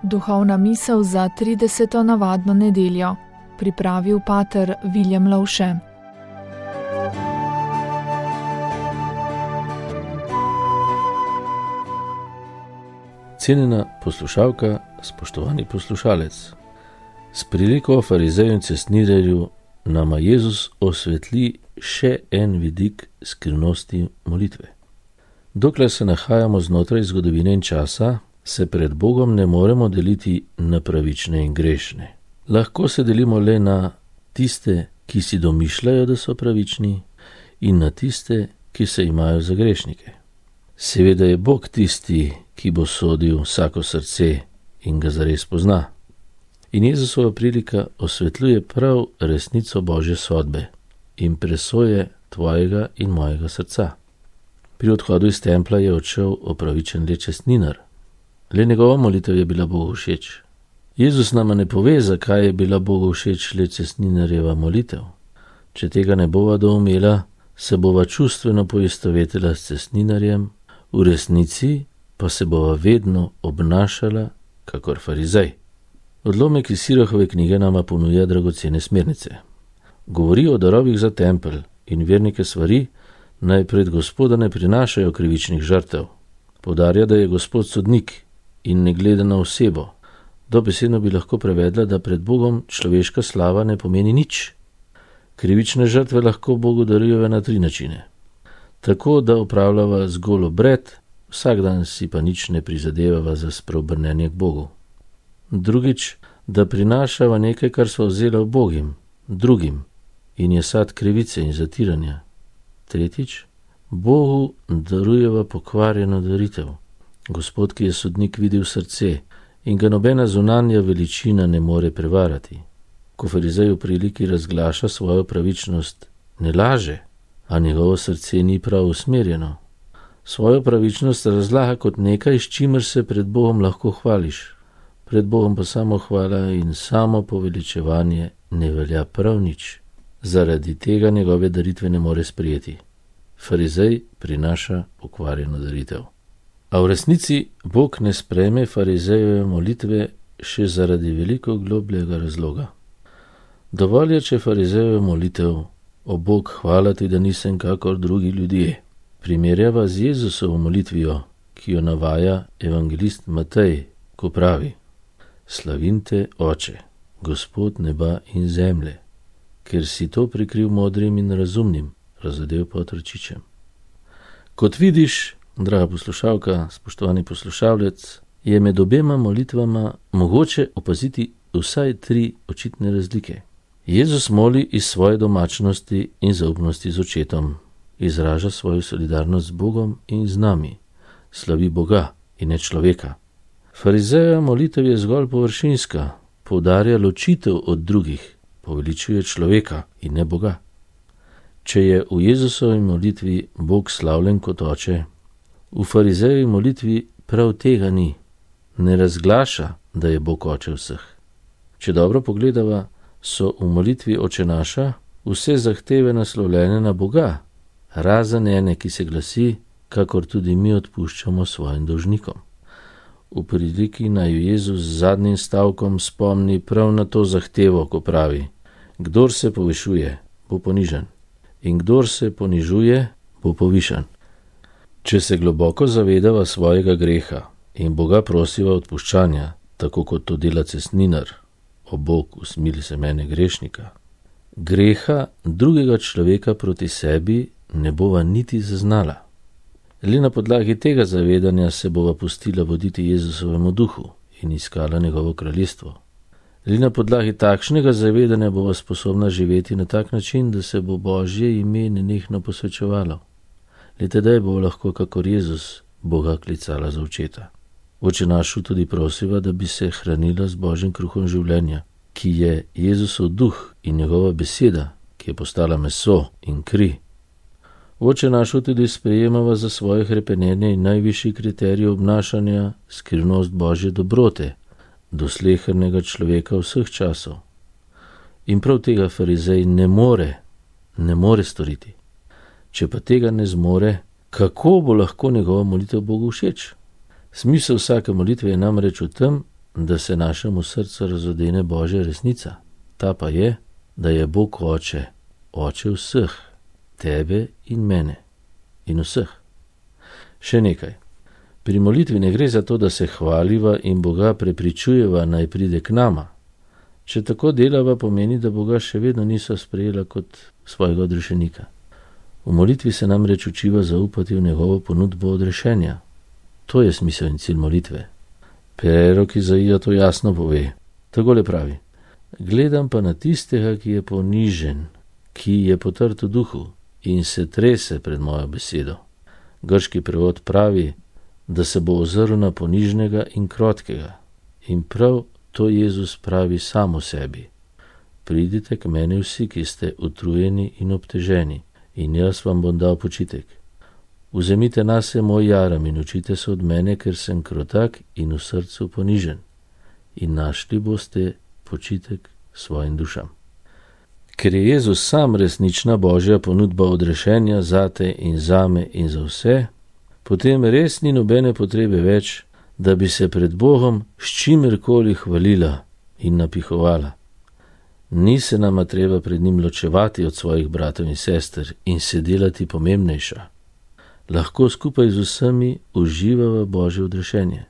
Duhovna misel za 30. navadno nedeljo. Pripravil pater Viljem Lovše. Cenjena poslušalka, spoštovani poslušalec. S priliko o farizeju in cestninarju nama Jezus osvetli še en vidik skrivnosti molitve. Dokler se nahajamo znotraj zgodovine in časa, se pred Bogom ne moremo deliti na pravične in grešne. Lahko se delimo le na tiste, ki si domišljajo, da so pravični, in na tiste, ki se imajo za grešnike. Seveda je Bog tisti, ki bo sodil vsako srce in ga zares pozna. In Jezusova prilika osvetljuje prav resnico Božje sodbe in presoje tvojega in mojega srca. Pri odhodu iz templja je odšel opravičen le cestninar. Le njegova molitev je bila Bogu všeč. Jezus nama ne pove, zakaj je bila Bogu všeč le cestninarjeva molitev. Če tega ne bova doumela, se bova čustveno poistovetila s cestninarjem, v resnici pa se bova vedno obnašala kakor farizej. Odlomek iz Sirahove knjige nama ponuja dragocene smernice. Govori o darovih za tempelj in vernike svari, naj pred Gospoda ne prinašajo krivičnih žrtev. Poudarja, da je Gospod sodnik in ne gleda na osebo. Dobesedno bi lahko prevedla, da pred Bogom človeška slava ne pomeni nič. Krivične žrtve lahko Bogu darujeva na 3 načine. Tako, da opravljava zgolj obred, vsak dan si pa nič ne prizadevava za spreobrnenje k Bogu. Drugič, da prinašava nekaj, kar sva vzela v Bogim, drugim, in je sad krivice in zatiranja. Tretjič, Bogu darujeva pokvarjeno daritev. Gospod, ki je sodnik, vidi v srce in ga nobena zunanja veličina ne more prevarati. Ko farizej v priliki razglaša svojo pravičnost, ne laže, a njegovo srce ni prav usmerjeno. Svojo pravičnost razlaga kot nekaj, s čimer se pred Bogom lahko hvališ. Pred Bogom pa samo hvala in samo poveličevanje ne velja prav nič. Zaradi tega njegove daritve ne more sprijeti. Farizej prinaša pokvarjeno daritev. A v resnici Bog ne sprejme farizejeve molitve še zaradi veliko globljega razloga. Dovolj je, če farizejeve molitev: o Bog, hvala ti, da nisem kakor drugi ljudje, primerjava z Jezusovo molitvijo, ki jo navaja evangelist Matej, ko pravi: Slavim te, Oče, Gospod neba in zemlje, ker si to prikril modrim in razumnim, razodel pa otročičem. Kot vidiš, draga poslušalka, spoštovani poslušalec, je med obema molitvama mogoče opaziti vsaj 3 očitne razlike. Jezus moli iz svoje domačnosti in zaupnosti z Očetom, izraža svojo solidarnost z Bogom in z nami, slavi Boga in ne človeka. Farizejeva molitev je zgolj površinska, poudarja ločitev od drugih, poveličuje človeka in ne Boga. Če je v Jezusovi molitvi Bog slavljen kot Oče, v farizejevi molitvi prav tega ni. Ne razglaša, da je Bog Oče vseh. Če dobro pogledava, so v molitvi Oče naša vse zahteve naslovljene na Boga, razen ene, ki se glasi: kakor tudi mi odpuščamo svojim dolžnikom. V priliki naj Jezus z zadnjim stavkom spomni prav na to zahtevo, ko pravi: kdor se povišuje, bo ponižan, in kdor se ponižuje, bo povišan. Če se globoko zavedava svojega greha in Boga prosiva odpuščanja, tako kot to dela cestninar: o Bog, usmili se mene grešnika, greha drugega človeka proti sebi ne bova niti zaznala. Le na podlagi tega zavedanja se bova pustila voditi Jezusovemu duhu in iskala njegovo kraljestvo. Le na podlagi takšnega zavedanja bova sposobna živeti na tak način, da se bo Božje ime nenehno posvečevalo. Le tedaj bo lahko kakor Jezus Boga klicala za Očeta. Oče našu tudi prosiva, da bi se hranila z Božjim kruhom življenja, ki je Jezusov duh in njegova beseda, ki je postala meso in kri. Oče našu tudi sprejemava za svoje hrepenenje in najvišji kriterij obnašanja skrivnost Božje dobrote do slehernega človeka vseh časov. In prav tega farizej ne more storiti. Če pa tega ne zmore, kako bo lahko njegova molitev Bogu všeč? Smisel vsake molitve je namreč v tem, da se našemu srcu razodene Božja resnica. Ta pa je, da je Bog Oče, Oče vseh, tebe in mene in vseh. Še nekaj. Pri molitvi ne gre za to, da se hvaliva in Boga prepričujeva, naj pride k nama. Če tako delava, pomeni, da Boga še vedno niso sprejela kot svojega odrešenika. V molitvi se namreč učiva zaupati v njegovo ponudbo odrešenja. To je smisel in cilj molitve. Prerok Izaija to jasno pove. Takole pravi: gledam pa na tistega, ki je ponižen, ki je potrt v duhu in se trese pred mojo besedo. Grški prevod pravi, da se bo ozrl na ponižnega in krotkega. In prav to Jezus pravi sam o sebi. Pridite k meni vsi, ki ste utrujeni in obteženi, in jaz vam bom dal počitek. Vzemite nase moj jaram in učite se od mene, ker sem krotak in v srcu ponižen, in našli boste počitek svojim dušam. Ker je Jezus sam resnična Božja ponudba odrešenja zate in zame in za vse, potem res ni nobene potrebe več, da bi se pred Bogom s čimerkoli hvalila in napihovala. Ni se nama treba pred njim ločevati od svojih bratov in sester in se delati pomembnejša. Lahko skupaj z vsemi uživava Božje odrešenje.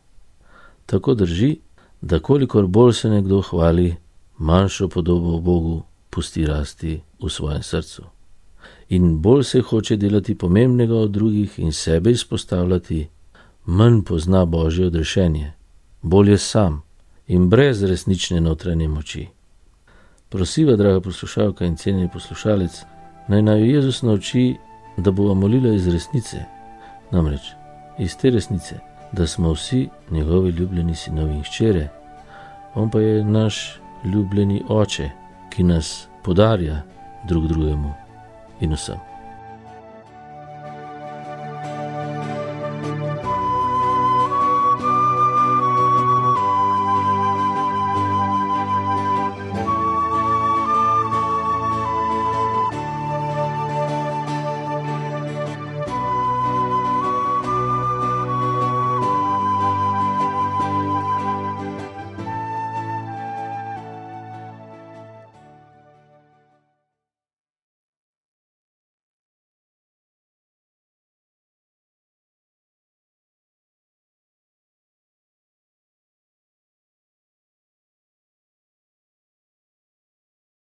Tako drži, da kolikor bolj se nekdo hvali, manjšo podobo o Bogu pusti rasti v svojem srcu. In bolj se hoče delati pomembnega od drugih in sebe izpostavljati, manj pozna Božje odrešenje, bolj je sam in brez resnične notranje moči. Prosiva, draga poslušalka in cenjeni poslušalec, naj Jezus nauči, da bova molila iz resnice, namreč iz te resnice, da smo vsi njegovi ljubljeni sinovi in hčere. On pa je naš ljubljeni Oče, ki nas podarja drug drugemu in vsem.